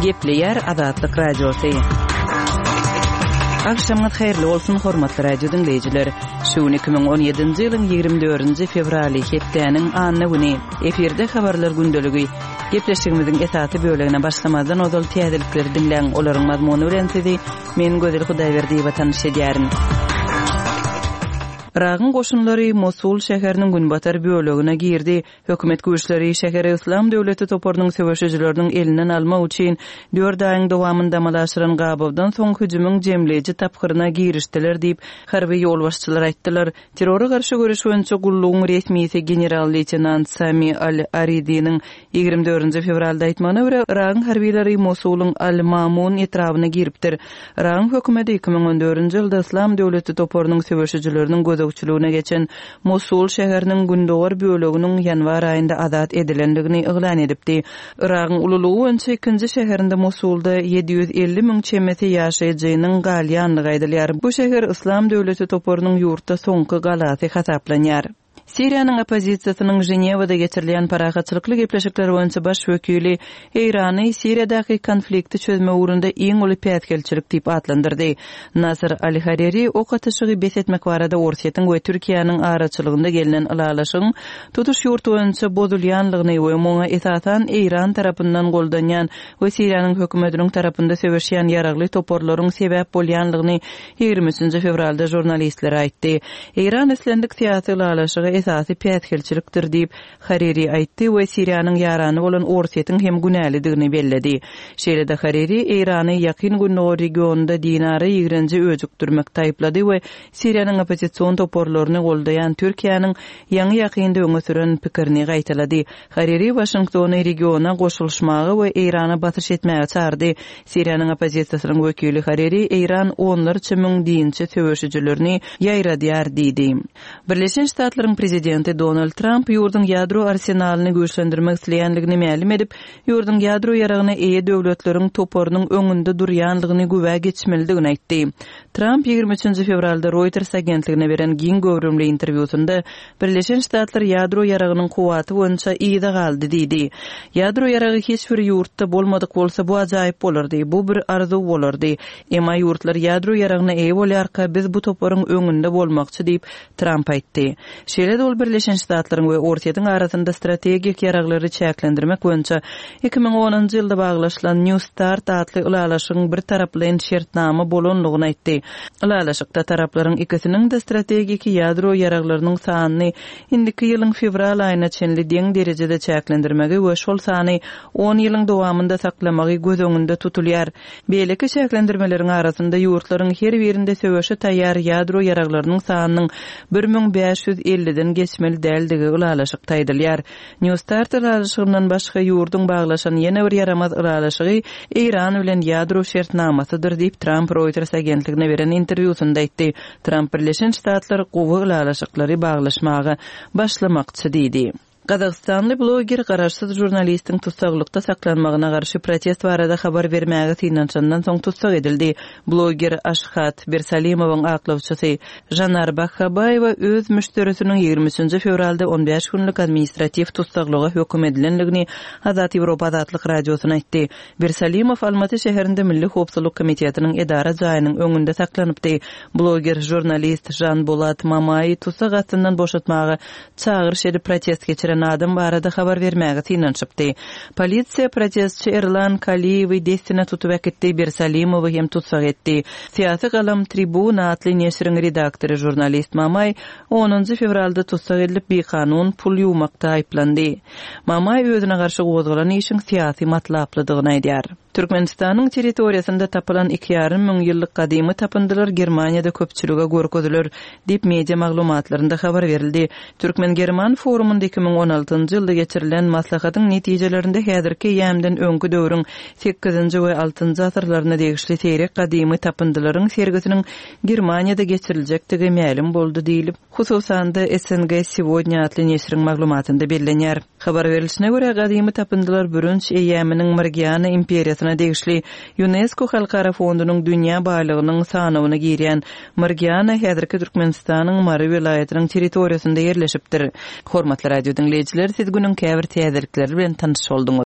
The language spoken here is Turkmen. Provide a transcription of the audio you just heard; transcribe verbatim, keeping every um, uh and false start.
Gepleýär Azatlyk Radiosy. Agşamyňyz haýyrly bolsun, hormatly radio diňleýjiler. Şu gün iki müň on ýedinji ýylyň ýigrimi dördünji fewraly, hepdäniň anna güni. Efirde habarlar gündeligi. Gepleşigimiziň esasy bölegine başlamazdan ozal täzelikleri diňläň, olaryň mazmuny bilen sizi men Gözel Hudaýberdiýewa tanyş edýärin. Yragyň goşunlary Mosul şäheriniň günbatar bölegine girdi. Hökümet güýçleri şäheri Yslam döwleti toparynyň söweşijileriniň elinden almak üçin dört aýyň dowamynda amala aşyran gabawdan soň hüjümiň jemleýji tapgyryna girişdiler diýip, harby ýolbaşçylar aýtdylar. Terrora garşy göreş boýunça gullugyň resmisi general-leýtenant Sami Al-Aridiniň ýigrimi dördünji fewralda aýtmagyna görä, Yragyň harbylary Mosulyň Al-Mamun etrabyna giripdir. Yragyň hökümeti iki müň on dördünji ýylda Yslam döwleti toparynyň söweşijileriniň gözegçiligine geçen Mosul şäheriniň gündogar böleginiň ýanwar aýynda azat edilendigini yglan edipdi. Yragyň ululygy boýunça ikinji şäherinde Mosulda ýedi ýüz elli müň çemesi ýaşaýjynyň galýandygy aýdylýar. Bu şäher Yslam döwleti toparynyň ýurtda soňky galasy hasaplanýar. Siriýanyň oppozisiýasynyň Ženewada geçirilýän parahatçylykly gepleşikler boýunça baş wekili Eýrany Siriýadaky konflikti çözmek ugrunda iň uly päsgelçilik diýip atlandyrdy. Nasr Al-Hariri ok atyşygy bes etmek barada Orsýetiň we Türkiýäniň araçylygynda gelnen ylalaşygyň tutuş ýurt boýunça bozulýanlygyny we muňa esasan Eýran tarapyndan goldanýan we Siriýanyň hökümetiniň tarapynda söweşýän ýaragly toparlaryň sebäp bolýanlygyny ýigrimi üçünji fewralda žurnalistlere aýtdy. Eýran islendik syýasy ylalaşyga esasy päsgelçilikdir diýip, Hariri aýtdy we Siriýanyň ýarany bolan Orsýetiň hem günälidigini belledi. Şeýle-de Hariri Eýrany Ýakyn Gündogar regionynda dinara ýigrenji öjükdirmekde aýyplady we Siriýanyň oppozision toparlaryny goldaýan Türkiýäniň ýaňy-ýakynda öňe süren pikirini gaýtalady. Hariri Waşingtony regiona goşulyşmaga we Eýrana basyş etmäge çagyrdy. Siriýanyň oppozisiýasynyň wekili Hariri Eýran onlarça müň dinçi söweşijilerini ýaýradýar diýdi. Birleşen Ştatlaryň prezidenti Donald Tramp ýurduň ýadro arsenalyny güýçlendirmek isleýänligini mälim edip, ýurduň ýadro ýaragyna eýe döwletleriň toparynyň öňünde durýanlygyny güwä geçmelidigini aýtdy. Tramp ýigrimi üçünji fewralda Reuters agentligine beren giň göwrümli interwýusynda Birleşen Ştatlar ýadro ýaragynyň kuwwaty boýunça yza galdy diýdi. Ýadro ýaragy hiç bir ýurtda bolmadyk bolsa bu ajaýyp bolardy, bu bir arzuw bolardy. Emma ýurtlar ýadro ýaragyna eýe bolýarka biz bu toparyň öňünde bolmakçy diýip Tramp aýtdy. Şeýle-de ol Birleşen Ştatlaryň we Orsýetiň arasynda strategik ýaraglary çäklendirmek boýunça iki müň onunjy ýylda baglaşylan New Start atly ylalaşygyň bir taraplaýyn şertnama bolanlygyny aýtdy. Ylalaşykda taraplaryň ikisiniň-de strategik ýadro ýaraglarynyň sanyny indiki ýylyň fewral aýyna çenli deň derejede çäklendirmegi we şol sany on ýylyň dowamynda saklamagy göz öňünde tutulýar. Beýleki çäklendirmeleriň arasynda ýurtlaryň her birinde söweşe taýýar ýadro ýaraglarynyň sanynyň bir müň bäş ýüz elliden geçmeli däldigi ylalaşykda aýdylýar. New Start ylalaşygyndan başga ýurduň baglaşan ýene bir ýaramaz ylalaşygy Eýran bilen ýadro şertnamasydyr diýip Tramp Reuters agentligine beren interwýusynda aýtdy. Tramp Birleşen Ştatlar gowy ylalaşyklary baglaşmaga başlamakçy diýdi. Gazagystanly bloger garaşsyz žurnalistiň tussaglykda saklanmagyna garşy protest barada habar bermäge synanyşandan soň tussag edildi. Bloger Aşhat Bersalimowyň aklawçysy Janar Bakhabaýewa öz müşderisiniň ýigrimi üçünji fewralda on bäş günlük administratiw tussaglyga höküm edilendigini Azat Ýewropa Azatlyk Radiosyna aýtdy. Bersalimow Almaty şäherinde Milli howpsuzlyk komitetiniň edara jaýynyň öňünde saklanypdy. Bloger žurnalist Žanbolat Mamaý tussag astyndan boşatmaga çagyryş edip protest geçiren adam barada habar bermäge synanyşypdy. Polisiýa protestçi Erlan Kaliýewi dessine tutup äkitdi, Bersalimowy hem tussag etdi. Syýasy galam Tribuna atly neşiriň redaktory žurnalist Mamaý onunjy fewralda tussag edilip bikanun pul ýuwmakda aýyplandy. Mamaý özüne garşy gozgalan işiň syýasy matlaplydygyny aýdýar. Türkmenistanyň territoriýasynda tapylan iki ýarym müň ýyllyk gadymy tapyndylar Germaniýada köpçülige görkeziler diýip media maglumatlarynda habar berildi. Türkmen-German forumynda iki müň on altynjy ýylda geçirilen maslahatyň netijelerinde häzirki eýýämden öňki döwrüň sekizinji we altynjy asyrlaryna degişli seýrek gadymy tapyndylaryň sergisiniň Germaniýada geçiriljekdigi mälim boldy diýilip, hususan-da S N G Сегодня atly neşiriň maglumatynda bellenýär. Habar berilişine görä gadymy tapyndylar bürünç eýýäminiň Margiana imperiýasyna degişli UNESCO Halkara fondunyň dünýä baýlygynyň sanawyna girýän Margiana häzirki Türkmenistanyň Mary welaýatynyň territoriýasynda ýerleşipdir. Hormatly radio diňleýjiler, siz günüň käbir täzelikleri bilen tanyş bolduňyz.